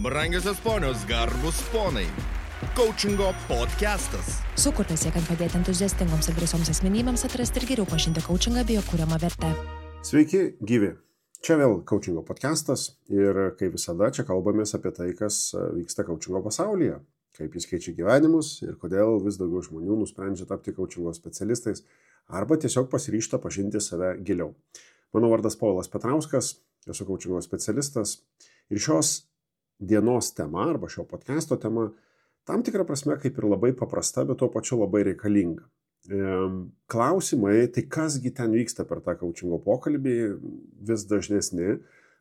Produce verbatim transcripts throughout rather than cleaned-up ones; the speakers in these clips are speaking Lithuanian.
Brangiosios ponios, garbus ponai. Coachingo podcastas. Sukurtas siekiant padėti entuziastingoms ir drąsioms asmenybėms atrasti ir geriau pažinti coachingą bei jo kuriamą vertę. Sveiki, gyvi. Čia vėl coachingo podcastas ir kaip visada čia kalbamės apie tai, kas vyksta coachingo pasaulyje, kaip jis keičia gyvenimus ir kodėl vis daugiau žmonių nusprendžia tapti coachingo specialistais arba tiesiog pasiryžta pažinti save giliau. Mano vardas Povilas Petrauskas, esu coachingo specialistas ir šios dienos tema arba šio podcasto tema tam tikrą prasme kaip ir labai paprasta, bet tuo pačiu labai reikalinga. Klausimai, tai kasgi ten vyksta per tą coachingo pokalbį, vis dažnesni,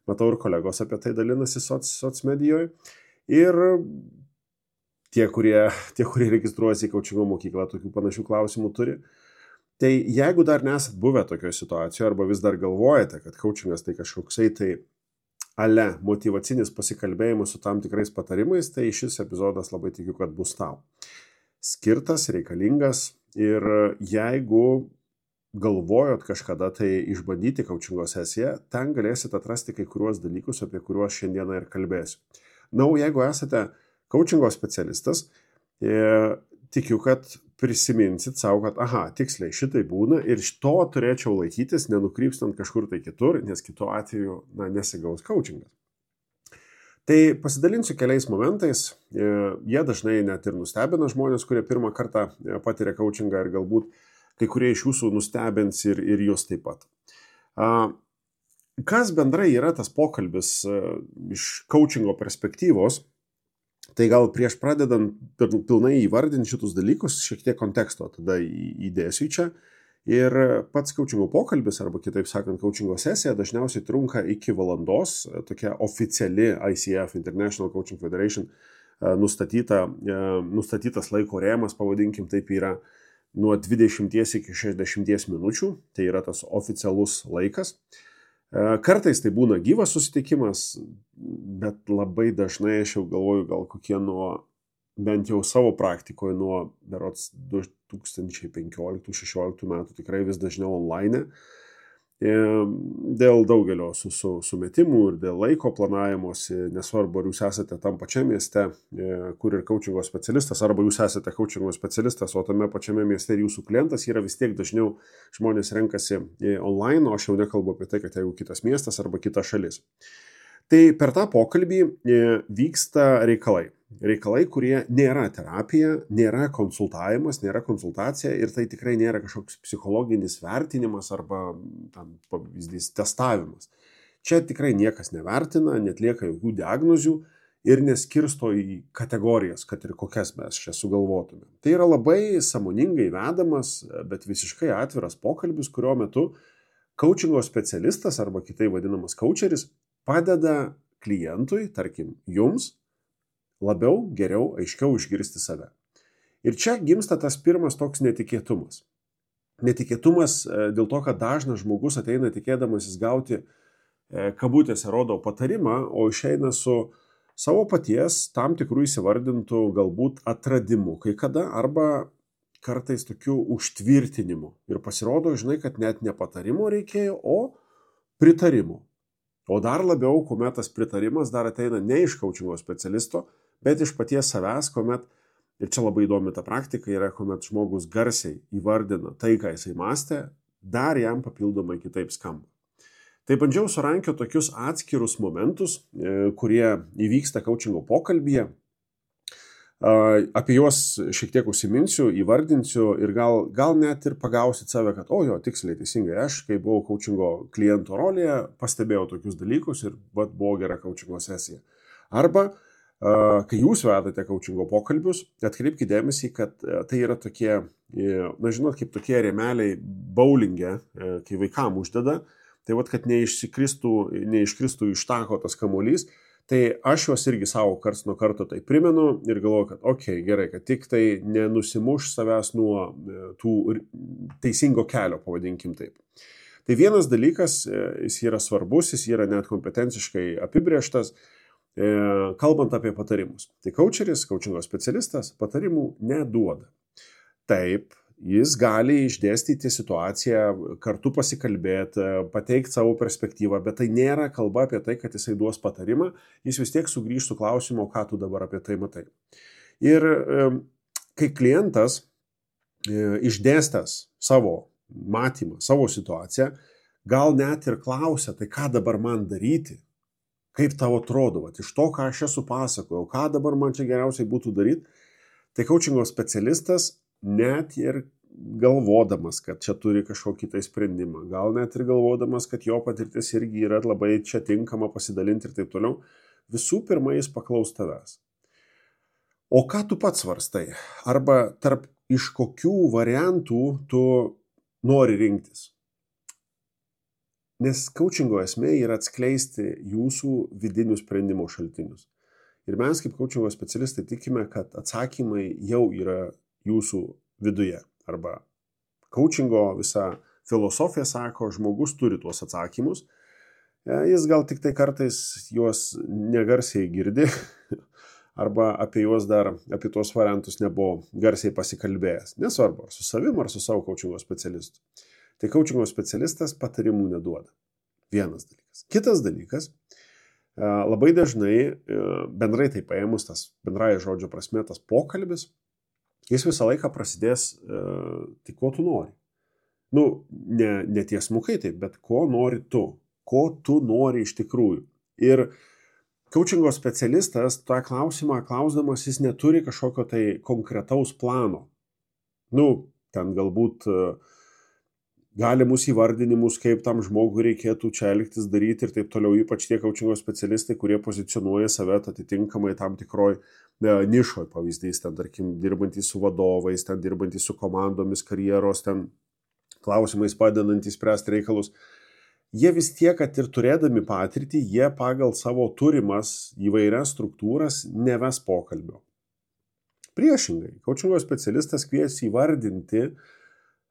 matau ir kolegos apie tai dalinasi soc, soc medijoje ir tie, kurie, tie, kurie registruojasi į coachingo mokyklą, tokių panašių klausimų turi. Tai jeigu dar nesat buvę tokioje situacijoje arba vis dar galvojate, kad coachingas tai kažkoksai tai ale motyvacinis pasikalbėjimas su tam tikrais patarimais, tai šis epizodas labai tikiu, kad bus tau skirtas, reikalingas ir jeigu galvojot kažkada tai išbandyti coachingo sesiją, ten galėsit atrasti kai kuriuos dalykus, apie kuriuos šiandieną ir kalbėsiu. Na, o jeigu esate coachingo specialistas, e, tikiu, kad prisiminsit savo, kad aha, tiksliai šitai būna ir to turėčiau laikytis, nenukrypstant kažkur tai kitur, nes kitu atveju na, nesigaus coachingas. Tai pasidalinsiu keliais momentais, jie dažnai net ir nustebina žmonės, kurie pirmą kartą patiria coachingą ir galbūt kai kurie iš jūsų nustebins ir, ir jūs taip pat. Kas bendrai yra tas pokalbis iš coachingo perspektyvos? Tai gal prieš pradedant pilnai įvardinti šitus dalykus, šiek tiek konteksto tada įdėsiu čia. Ir pats coachingo pokalbis, arba kitaip sakant, coachingo sesija dažniausiai trunka iki valandos. Tokia oficiali I C F, International Coaching Federation, nustatyta, nustatytas laiko rėmas, pavadinkim taip, yra nuo dvidešimties iki šešiasdešimties minučių. Tai yra tas oficialus laikas. Kartais tai būna gyvas susitikimas, bet labai dažnai aš jau galvoju, gal kokie nuo, bent jau savo praktikoje, nuo berods du tūkstančiai penkioliktų šešioliktų metų tikrai vis dažniau online. Dėl daugelio su, su, sumetimų ir dėl laiko planavimosi, nesvarbu, ar jūs esate tam pačiam mieste, kur ir coachingo specialistas, arba jūs esate coachingo specialistas, o tame pačiame mieste ir jūsų klientas yra vis tiek dažniau žmonės renkasi online, o aš jau nekalbu apie tai, kad jeigu kitas miestas arba kita šalis. Tai per tą pokalbį vyksta reikalai. Reikalai, kurie nėra terapija, nėra konsultavimas, nėra konsultacija ir tai tikrai nėra kažkoks psichologinis vertinimas arba tam pavyzdys testavimas. Čia tikrai niekas nevertina, netlieka jokių diagnozių ir neskirsto į kategorijas, kad ir kokias mes čia sugalvotume. Tai yra labai sąmoningai vedamas, bet visiškai atviras pokalbis, kurio metu coachingo specialistas arba kitai vadinamas coacheris padeda klientui, tarkim jums, labiau, geriau, aiškiau išgirsti save. Ir čia gimsta tas pirmas toks netikėtumas. Netikėtumas dėl to, kad dažnas žmogus ateina tikėdamasis gauti kabutėse rodo patarimą, o išeina su savo paties tam tikrų įsivardintų galbūt atradimų, kai kada arba kartais tokių užtvirtinimų. Ir pasirodo, žinai, kad net ne patarimo reikėjo, o pritarimo. O dar labiau, kuomet tas pritarimas dar ateina ne iš coachingo specialisto, bet iš paties savęs, kuomet, ir čia labai įdomi ta praktika, yra, kuomet žmogus garsiai įvardina tai, ką jisai mąstė, dar jam papildomai kitaip skamba. Tai bandžiau surankioti tokius atskirus momentus, kurie įvyksta coachingo pokalbyje. Apie juos šiek tiek užsiminsiu, įvardinsiu ir gal, gal net ir pagausit save, kad o jo, tiksliai, teisingai, aš, kai buvau coachingo kliento rolėje, pastebėjau tokius dalykus ir vat, buvo gera coachingo sesija. Arba, kai jūs vedate coachingo pokalbius, atkreipkite dėmesį, kad tai yra tokie, na žinot, kaip tokie rėmeliai bowlinge, kai vaikam uždeda, tai vat, kad neiškristų, neiškristų iš tako tas kamuolys. Tai aš juos irgi savo karts nuo karto tai primenu ir galvoju, kad okei, okay, gerai, kad tik tai nenusimuš savęs nuo tų teisingo kelio, pavadinkim taip. Tai vienas dalykas, jis yra svarbus, jis yra net kompetenciškai apibrėžtas, kalbant apie patarimus. Tai coacheris, coachingo specialistas patarimų neduoda. Taip, Jis gali išdėstyti situaciją, kartu pasikalbėti, pateikti savo perspektyvą, bet tai nėra kalba apie tai, kad jisai duos patarimą, jis vis tiek sugrįžtų klausimo, ką tu dabar apie tai matai. Ir kai klientas išdėstęs savo matymą, savo situaciją, gal net ir klausia, tai ką dabar man daryti, kaip tau atrodo, vat, iš to, ką aš esu pasakojau, ką dabar man čia geriausiai būtų daryti, tai coachingo specialistas net ir galvodamas, kad čia turi kažkokį tai sprendimą, gal net ir galvodamas, kad jo patirtis irgi yra labai čia tinkama pasidalinti ir taip toliau, visų pirma jis paklaus tavęs. O ką tu pats svarstai? Arba tarp iš kokių variantų tu nori rinktis? Nes coachingo esmė yra atskleisti jūsų vidinių sprendimų šaltinius. Ir mes kaip coachingo specialistai tikime, kad atsakymai jau yra jūsų viduje. Arba coachingo visa filosofija sako, žmogus turi tuos atsakymus. Jis gal tik tai kartais juos negarsiai girdi, arba apie juos dar, apie tuos variantus nebuvo garsiai pasikalbėjęs. Nesvarbu, ar su savim, ar su savo coachingo specialistu. Tai coachingo specialistas patarimų neduoda. Vienas dalykas. Kitas dalykas, labai dažnai, bendrai tai paėmus tas bendrąja žodžio prasme, tas pokalbis, jis visą laiką prasidės, tai ko tu nori. Nu, ne, ne tiesmukai taip, bet ko nori tu, ko tu nori iš tikrųjų. Ir coachingo specialistas tą klausimą klausdamas, jis neturi kažkokio tai konkretaus plano. Nu, ten galbūt galimus įvardinimus, kaip tam žmogui reikėtų čia elgtis, daryti ir taip toliau, ypač tie coachingo specialistai, kurie pozicionuoja save atitinkamai tam tikroj nišoj, pavyzdys, ten, tarkim, dirbantys su vadovais, ten dirbantys su komandomis, karjeros, ten klausimais padedantys spręsti reikalus. Jie vis tiek, kad ir turėdami patirtį, jie pagal savo turimas įvairias struktūras neves pokalbio. Priešingai, coachingo specialistas kvies įvardinti,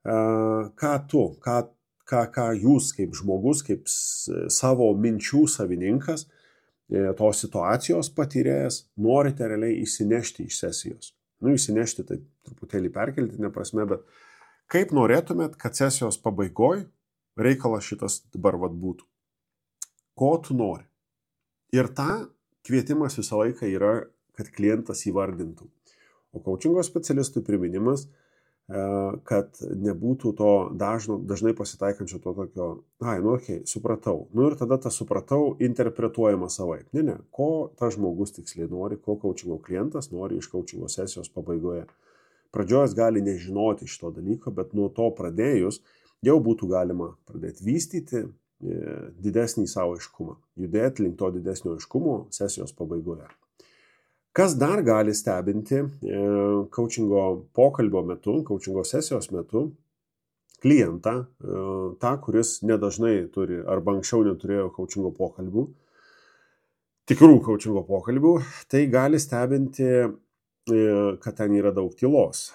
ką tu, ką, ką, ką jūs kaip žmogus, kaip savo minčių savininkas, tos situacijos patyrėjas, norite realiai įsinešti iš sesijos. Nu, įsinešti tai truputėlį perkeltinė prasme, bet kaip norėtumėt, kad sesijos pabaigoj reikalas šitas dabar vat būtų. Ko tu nori? Ir ta kvietimas visą laiką yra, kad klientas įvardintų. O coachingo specialistui priminimas, kad nebūtų to dažno, dažnai pasitaikančio to tokio, ai, nu, okei, okay, supratau. Nu ir tada tą supratau interpretuojama savaip. Ne, ne, ko tas žmogus tiksliai nori, ko coachingo klientas nori iš coachingo sesijos pabaigoje. Pradžioj jis gali nežinoti šito dalyko, bet nuo to pradėjus jau būtų galima pradėti vystyti didesnį savo aiškumą, judėti link to didesnio aiškumo sesijos pabaigoje. Kas dar gali stebinti coachingo pokalbio metu, coachingo sesijos metu klientą, tą, kuris nedažnai turi arba anksčiau neturėjo coachingo pokalbių, tikrų coachingo pokalbių, tai gali stebinti, kad ten yra daug tylos,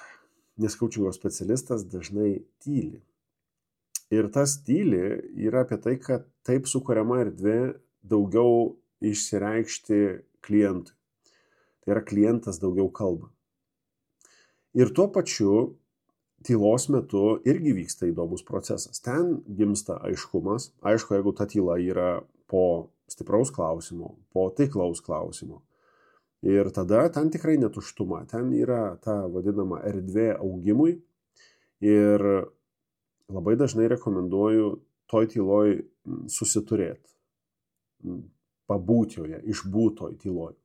nes coachingo specialistas dažnai tyli. Ir tas tyli yra apie tai, kad taip sukuriama erdvė daugiau išsireikšti klientui. Tai yra klientas daugiau kalba. Ir tuo pačiu tylos metu irgi vyksta įdomus procesas. Ten gimsta aiškumas. Aišku, jeigu ta tyla yra po stipraus klausimo, po taiklaus klausimo. Ir tada ten tikrai netuštuma. Ten yra ta vadinama erdvė augimui. Ir labai dažnai rekomenduoju toj tyloj susiturėti. Pabūti joje, išbūt toj tyloj.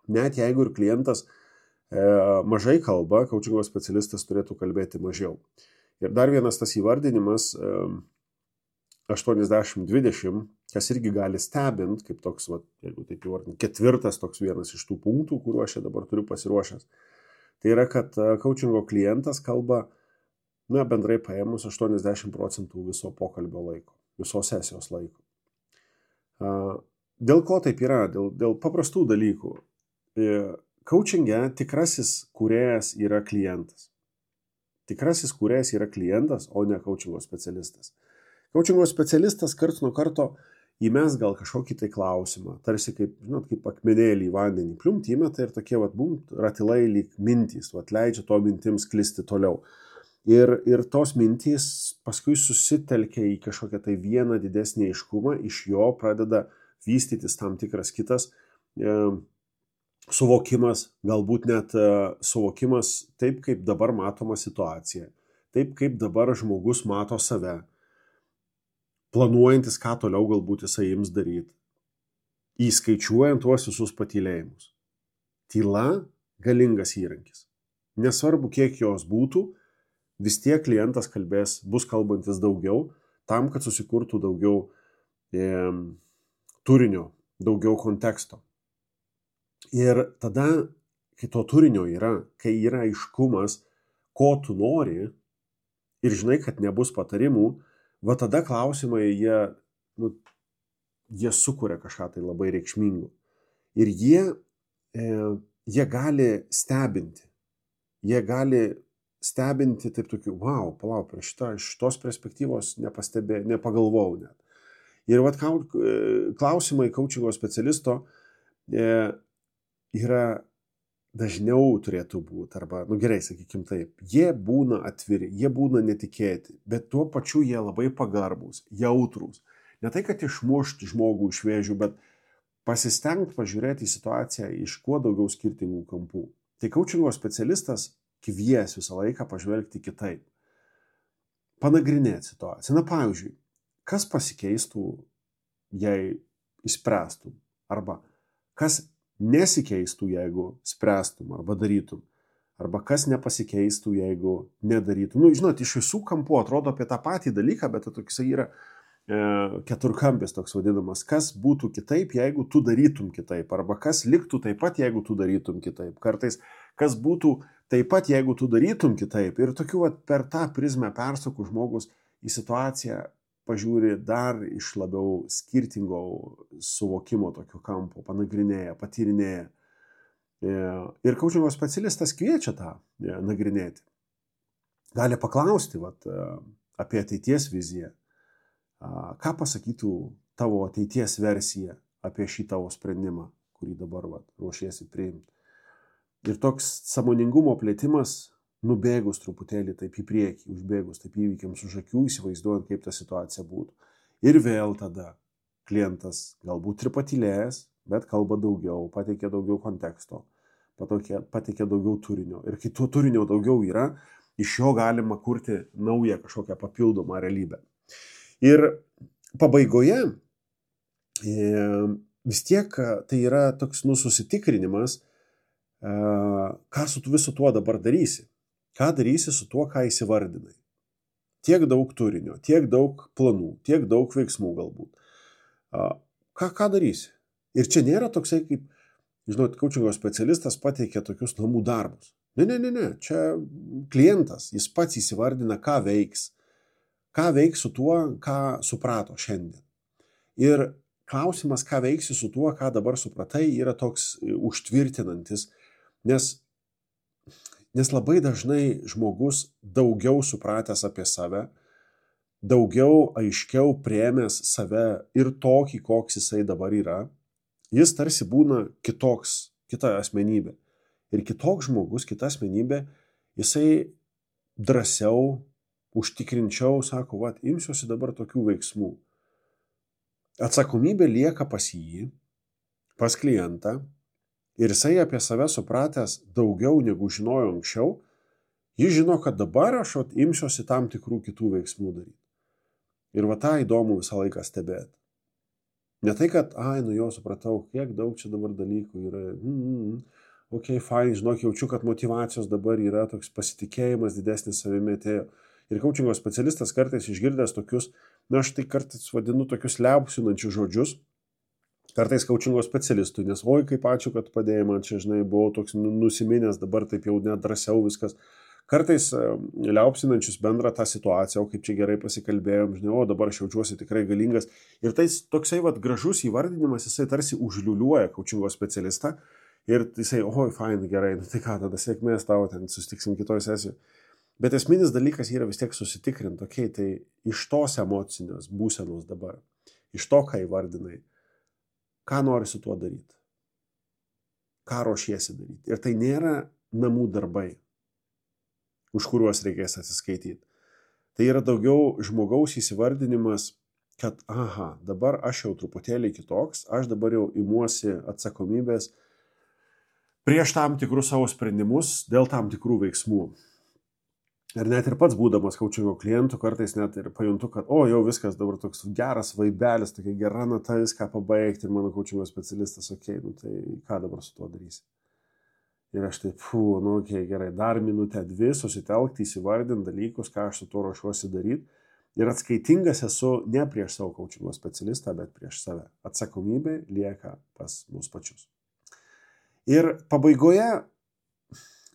Net jeigu ir klientas e, mažai kalba, coachingo specialistas turėtų kalbėti mažiau. Ir dar vienas tas įvardinimas e, aštuoniasdešimt dvidešimt, kas irgi gali stebint, kaip toks, va, jeigu taip įvardinti, ketvirtas toks vienas iš tų punktų, kuriuo aš dabar turiu pasiruošęs. Tai yra, kad coachingo klientas kalba, na, bendrai paėmus aštuoniasdešimt procentų viso pokalbio laiko, visos sesijos laiko. E, dėl ko taip yra? Dėl, dėl paprastų dalykų. Coachinge tikrasis kūrėjas yra klientas. Tikrasis kūrėjas yra klientas, o ne coachingo specialistas. Coachingo specialistas karts nuo karto įmes gal kažkokį tai klausimą, tarsi kaip, žinot, kaip akmenėlį į vandenį, pliumt įmeta ir tokie, vat, bum, ratilai lyg mintys, vat, leidžia to mintims klisti toliau. Ir, ir tos mintys paskui susitelkia į kažkokią tai vieną didesnį aiškumą, iš jo pradeda vystytis tam tikras kitas e, suvokimas, galbūt net e, suvokimas taip, kaip dabar matoma situacija, taip, kaip dabar žmogus mato save, planuojantis, ką toliau galbūt jisai ims daryti, įskaičiuojant tuos visus patylėjimus. Tyla galingas įrankis. Nesvarbu, kiek jos būtų, vis tiek klientas kalbės, bus kalbantis daugiau, tam, kad susikurtų daugiau e, turinio, daugiau konteksto. Ir tada, kai to turinio yra, kai yra aiškumas, ko tu nori ir žinai, kad nebus patarimų, va tada klausimai, jie, nu, jie sukuria kažką tai labai reikšmingo. Ir jie, e, jie gali stebinti. Jie gali stebinti taip tokiu, wow, palauk, prie šitą, iš tos perspektyvos nepastebė, nepagalvojau net. Ir vat klausimai coachingo specialisto e, yra dažniau turėtų būti, arba, nu gerai, sakykim taip, jie būna atviri, jie būna netikėti, bet tuo pačiu jie labai pagarbus, jautrus. Ne tai, kad išmušti žmogų iš vėžių, bet pasistengti pažiūrėti į situaciją iš kuo daugiau skirtingų kampų. Tai coachingo specialistas kvies visą laiką pažvelgti kitaip. Panagrinėti situaciją. Na, pavyzdžiui, kas pasikeistų, jei išspręstum? Arba kas nesikeistų, jeigu spręstum arba darytum? Arba kas nepasikeistų, jeigu nedarytum? Nu, žinot, iš visų kampų atrodo apie tą patį dalyką, bet toks yra e, keturkampis toks vadinamas. Kas būtų kitaip, jeigu tu darytum kitaip? Arba kas liktų taip pat, jeigu tu darytum kitaip? Kartais kas būtų taip pat, jeigu tu darytum kitaip. Ir tokiu vat, per tą prizmę persukų žmogus į situaciją pažiūri dar iš labiau skirtingo suvokimo tokio kampo, panagrinėja, patyrinėja. Ir coachingo specialistas kviečia tą nagrinėti. Gali paklausti vat, apie ateities viziją. Ką pasakytų tavo ateities versija apie šį tavo sprendimą, kurį dabar vat, ruošiesi priimti. Ir toks sąmoningumo plėtimas, nubėgus truputėlį taip į priekį, užbėgus taip įvykiams už akių, įsivaizduojant, kaip ta situacija būtų. Ir vėl tada klientas galbūt ir patylėjęs, bet kalba daugiau, pateikia daugiau konteksto, pateikia daugiau turinio. Ir kai to turinio daugiau yra, iš jo galima kurti naują kažkokią papildomą realybę. Ir pabaigoje vis tiek tai yra toks nu, susitikrinimas, ką su visu tuo dabar darysi. Ką darysi su tuo, ką įsivardinai. Tiek daug turinio, tiek daug planų, tiek daug veiksmų galbūt. Ką, ką darysi? Ir čia nėra toksai kaip, žinot, coachingo specialistas pateikia tokius namų darbus. Ne, ne, ne, ne. Čia klientas, jis pats įsivardina, ką veiks. Ką veiks su tuo, ką suprato šiandien. Ir klausimas, ką veiksi su tuo, ką dabar supratai, yra toks užtvirtinantis. Nes, nes labai dažnai žmogus daugiau supratęs apie save, daugiau aiškiau priėmęs save ir tokį, koks jisai dabar yra, jis tarsi būna kitoks, kita asmenybė. Ir kitoks žmogus, kita asmenybė, jisai drąsiau, užtikrinčiau, sako, vat, imsiuosi dabar tokių veiksmų. Atsakomybė lieka pas jį, pas klientą, ir jisai apie save supratęs daugiau negu žinojo anksčiau, jis žino, kad dabar aš vat, imsiuosi tam tikrų kitų veiksmų daryti. Ir va tą įdomu visą laiką stebėti. Ne tai, kad, ai, nu jau supratau, kiek daug čia dabar dalykų yra. Mm, mm, ok, fine, žinok, jaučiu, kad motyvacijos dabar yra, toks pasitikėjimas didesnis savimi atėjo. Ir coachingo specialistas kartais išgirdęs tokius, na, aš tai kartais vadinu tokius liaupsinančius žodžius, kartais coachingo specialistui, nes oi, kaip ačiū, kad padėjai man čia, žinai, buvau toks nusiminęs, dabar taip jau net drąsiau viskas. Kartais liaupsinančius bendrą tą situaciją, o kaip čia gerai pasikalbėjom, žinai, o dabar aš jaučiuosi tikrai galingas. Ir tai toksai vat, gražus įvardinimas, jisai tarsi užliuliuoja coachingo specialistą ir jisai, oi, fine, gerai, nu tai ką, tada sėkmės tavo, ten susitiksim kitoj sesijoje. Bet esminis dalykas yra vis tiek susitikrinti, okei, tai iš tos emocinės būsenos dabar, iš to, ką įvardinai, ką nori su tuo daryti, ką ruošiesi daryti. Ir tai nėra namų darbai. už kuriuos reikės atsiskaityti. Tai yra daugiau žmogaus įsivardinimas, kad aha, dabar aš jau truputėlį kitoks, aš dabar jau imuosi atsakomybės prieš tam tikrus savo sprendimus dėl tam tikrų veiksmų. Ir net ir pats būdamas kaučingo klientų, kartais net ir pajuntu, kad o, jau viskas dabar toks geras vaibelis, tokia gera nata viską pabaigti ir mano kaučingo specialistas, okei, okay, nu tai ką dabar su tuo darysi? Ir aš taip, fū, nu okei, okay, gerai, dar minutę dvi susitelkti, įsivardinti dalykus, ką aš su tuo ruošiuosi daryti. Ir atskaitingas esu ne prieš savo kaučingo specialistą, bet prieš save. Atsakomybė lieka pas mus pačius. Ir pabaigoje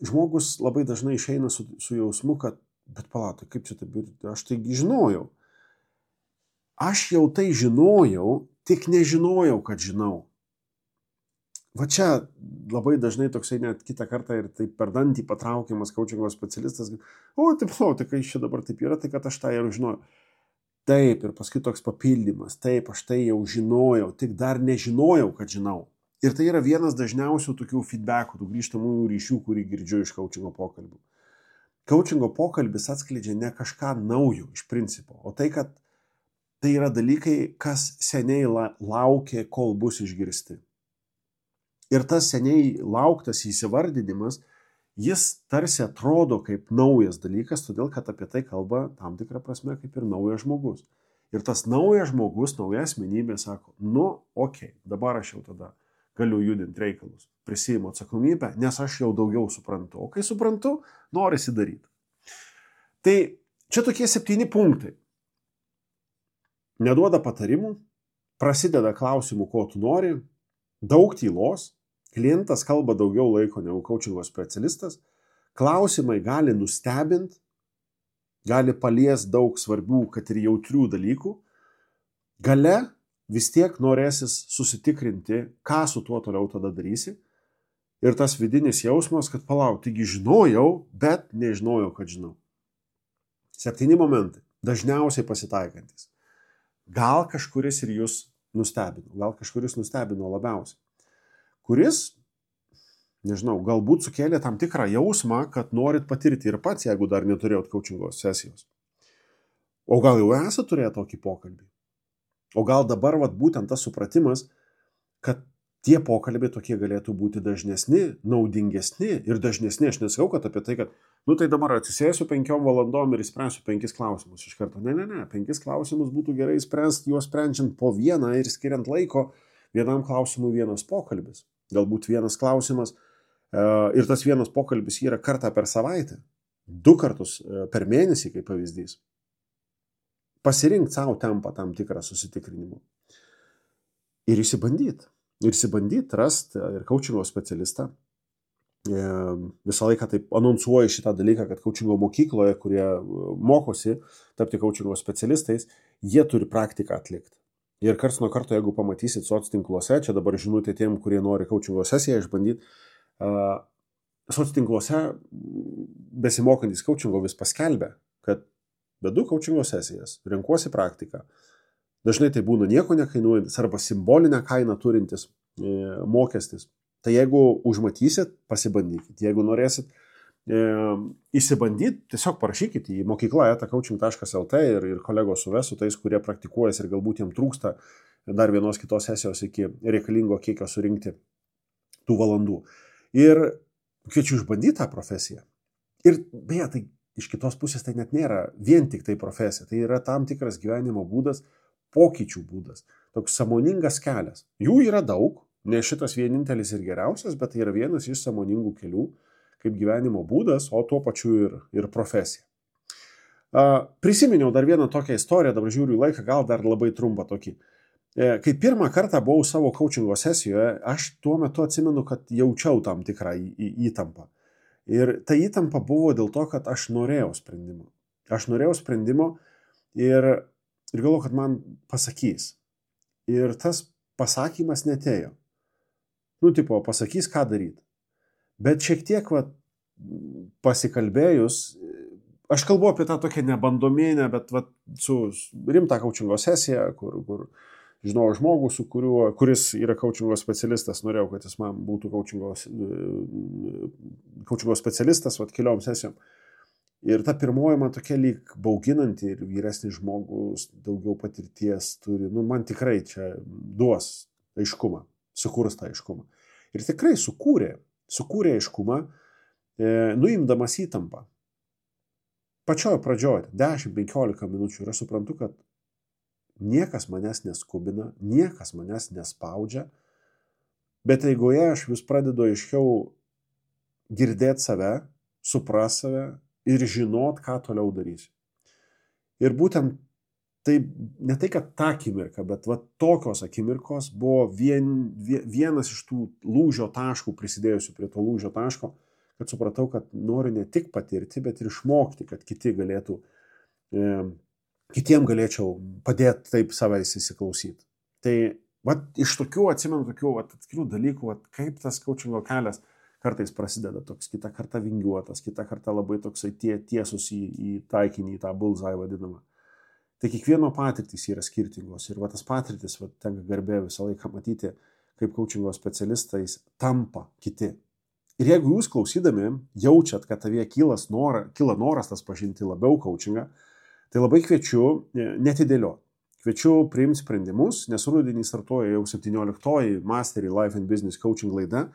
žmogus labai dažnai išeina su, su jausmu, kad, bet palatai, kaip čia taip, aš tai žinojau. Aš jau tai žinojau, tik nežinojau, kad žinau. Va čia labai dažnai toksai net kitą kartą ir taip per dantį patraukiamas kaučingo specialistas. O, taip, palatai, kai čia dabar taip yra, tai kad aš tą jau žinojau. Taip, ir paskui toks papildymas, taip, aš tai jau žinojau, tik dar nežinojau, kad žinau. Ir tai yra vienas dažniausių tokių feedbackų, tų grįžtamųjų ryšių, kurį girdžiu iš kaučingo pokalbių. Kaučingo pokalbis atskleidžia ne kažką naujo iš principo, o tai, kad tai yra dalykai, kas seniai la, laukia, kol bus išgirsti. Ir tas seniai lauktas įsivardinimas, jis tarsi atrodo kaip naujas dalykas, todėl kad apie tai kalba tam tikrą prasme kaip ir naujas žmogus. Ir tas naujas žmogus, nauja asmenybė sako, nu, okei, okay, dabar aš jau tada galiu judinti reikalus, prisiimu atsakomybę, nes aš jau daugiau suprantu. O kai suprantu, norisi daryti. Tai čia tokie septyni punktai. Neduoda patarimų, prasideda klausimų, ko tu nori, daug tylos, klientas kalba daugiau laiko negu kaučingo specialistas, klausimai gali nustebinti, gali palies daug svarbių, kad ir jautrių dalykų, gale vis tiek norėsis susitikrinti, ką su tuo toliau tada darysi. Ir tas vidinis jausmas, kad palauk, taigi žinojau, bet nežinojau, kad žinau. Septyni momentai, dažniausiai pasitaikantis. Gal kažkuris ir jūs nustebino, gal kažkuris nustebino labiausiai. Kuris, nežinau, galbūt sukėlė tam tikrą jausmą, kad norit patirti ir pats, jeigu dar neturėjot kaučingo sesijos. O gal jau esate turėję tokį pokalbį? O gal dabar vat, būtent tas supratimas, kad tie pokalbiai tokie galėtų būti dažnesni, naudingesni ir dažnesni. Aš nesakau, kad apie tai, kad, nu tai dabar atsisėsiu penkiom valandom ir įspręsiu penkis klausimus iš karto. Ne, ne, ne, penkis klausimus būtų gerai spręsti, juos sprendžiant po vieną ir skiriant laiko vienam klausimui vienas pokalbis. Galbūt vienas klausimas e, ir tas vienas pokalbis yra kartą per savaitę, du kartus e, per mėnesį, kaip pavyzdys. Pasirinkti savo tempą tam tikrą susitikrinimą. Ir įsibandyti. Ir įsibandyti, rasti ir kaučingo specialistą. E, visą laiką taip anonsuoju šitą dalyką, kad kaučingo mokykloje, kurie mokosi tapti kaučingo specialistais, jie turi praktiką atlikti. Ir karts nuo karto, jeigu pamatysit soc tinkluose, čia dabar žinutė tiem, kurie nori kaučingo sesiją išbandyti, uh, soc tinkluose besimokantis kaučingo vis paskelbia, kad vedu kaučingo sesijas, renkuosi praktiką. Dažnai tai būna nieko nekainuojantis arba simbolinę kainą turintis e, mokestis. Tai jeigu užmatysit, pasibandykit. Jeigu norėsit e, įsibandyti, tiesiog parašykit į mokykla eta coaching taškas el te ir, ir kolegos suves su tais, kurie praktikuojasi ir galbūt jiems trūksta dar vienos kitos sesijos iki reikalingo kiekio surinkti tų valandų. Ir kviečiu išbandyti tą profesiją. Ir beje, tai iš kitos pusės tai net nėra vien tik tai profesija, tai yra tam tikras gyvenimo būdas, pokyčių būdas, toks sąmoningas kelias. Jų yra daug, ne šitas vienintelis ir geriausias, bet tai yra vienas iš sąmoningų kelių, kaip gyvenimo būdas, o tuo pačiu ir, ir profesija. Uh, prisiminiau dar vieną tokią istoriją, dabar žiūriu į laiką, gal dar labai trumpą tokį. E, kai pirmą kartą buvau savo coachingo sesijoje, aš tuo metu atsimenu, kad jaučiau tam tikrą į, į, įtampą. Ir ta įtampa buvo dėl to, kad aš norėjau sprendimo. Aš norėjau sprendimo ir, ir galvoju, kad man pasakys. Ir tas pasakymas netėjo. Nu, tipo, pasakys, ką daryti. Bet šiek tiek, va, pasikalbėjus, aš kalbu apie tą tokią nebandomėnę, bet va, su rimta coachingo sesija, kur, kur žinojau žmogų, su kuriuo, kuris yra coachingo specialistas, norėjau, kad jis man būtų coachingo, coachingo specialistas, va, keliom sesijom. Ir ta pirmoji man tokia lyg bauginanti ir vyresnis žmogus daugiau patirties turi, nu man tikrai čia duos aiškumą, sukūrus tą aiškumą. Ir tikrai sukūrė, sukūrė aiškumą, e, nuimdamas įtampą. Pačioje pradžioje, dešimt penkiolika minučių, ir aš suprantu, kad niekas manęs neskubina, niekas manęs nespaudžia, bet eigoje aš vis pradedu aiškiau girdėti save, supras save ir žinot, ką toliau darysiu. Ir būtent tai, ne tai, kad ta akimirka, bet va, tokios akimirkos buvo vien, vienas iš tų lūžio taškų, prisidėjusių prie to lūžio taško, kad supratau, kad noriu ne tik patirti, bet ir išmokti, kad kiti galėtų, e, kitiem galėčiau padėti taip savais įsiklausyti. Tai va, iš tokių, atsimenu, tokių va, atskirų dalykų, va, kaip tas coachingo kelias kartais prasideda toks, kitą kartą vingiuotas, kitą kartą labai toksai tie, tiesus į, į taikinį, į tą bullseye vadinamą. Tai kiekvieno patirtys yra skirtingos ir va, tas patirtis, va, tenka garbė visą laiką matyti, kaip coachingo specialistais tampa kiti. Ir jeigu jūs klausydami jaučiat, kad tavie kylas nora, kyla noras tas pažinti labiau coachingą, tai labai kviečiu netidėlioti. Kviečiu priimti sprendimus, nes rudenį startuoja jau septynioliktoji Mastery Life and Business Coaching laida.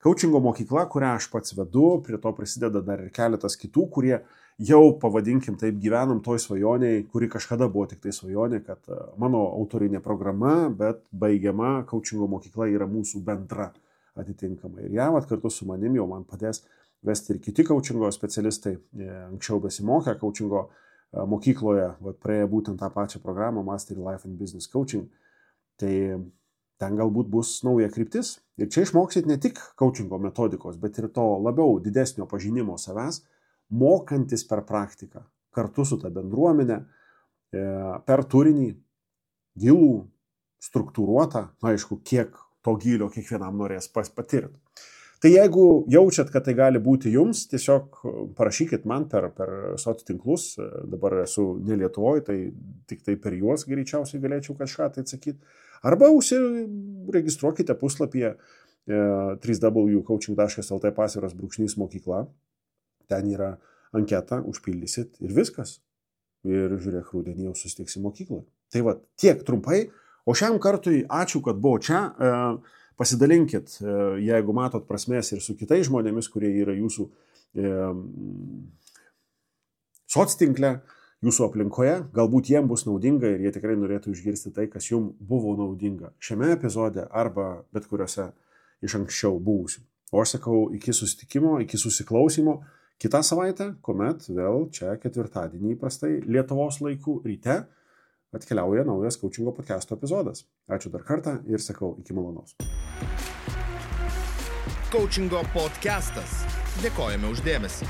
Coachingo mokykla, kurią aš pats vedu, prie to prisideda dar ir keletas kitų, kurie jau, pavadinkim taip, gyvenam toj svajoniai, kuri kažkada buvo tik tai svajonė, kad mano autorinė programa, bet baigiama coachingo mokykla yra mūsų bendra atitinkamai. Ir ją vat, kartu su manim jau man padės vesti ir kiti coachingo specialistai, anksčiau besimokę coachingo mokykloje, vat, praėję būtent tą pačią programą Mastery Life and Business Coaching. Tai ten galbūt bus nauja kryptis. Ir čia išmoksit ne tik coachingo metodikos, bet ir to labiau didesnio pažinimo savęs, mokantis per praktiką, kartu su ta bendruomenė, per turinį, gilų, struktūruotą, aišku, kiek to gilio kiekvienam norės patirti. Tai jeigu jaučiat, kad tai gali būti jums, tiesiog parašykit man per, per soc tinklus, dabar esu ne Lietuvoje, tai tik tai per juos greičiausiai galėčiau kažką tai atsakyti. Arba užsiregistruokite puslapyje w w w taškas coaching taškas l t pasviras brūkšnys mokykla. Ten yra anketa, užpildysit ir viskas. Ir žiūrėk, rudenį jau susitiksim mokykloje. Tai va, tiek trumpai. O šiam kartui ačiū, kad buvo čia. Pasidalinkit, jeigu matot prasmės ir su kitais žmonėmis, kurie yra jūsų soc tinkle, jūsų aplinkoje, galbūt jiems bus naudinga ir jie tikrai norėtų išgirsti tai, kas jums buvo naudinga šiame epizode arba bet kuriuose iš anksčiau buvusių. O aš sakau, iki susitikimo, iki susiklausimo kitą savaitę, kuomet vėl čia ketvirtadienį įprastai Lietuvos laikų ryte atkeliauja naujas coachingo podcast'o epizodas. Ačiū dar kartą ir sakau, iki malonaus. Coachingo podcast'as. Dėkojame už dėmesį.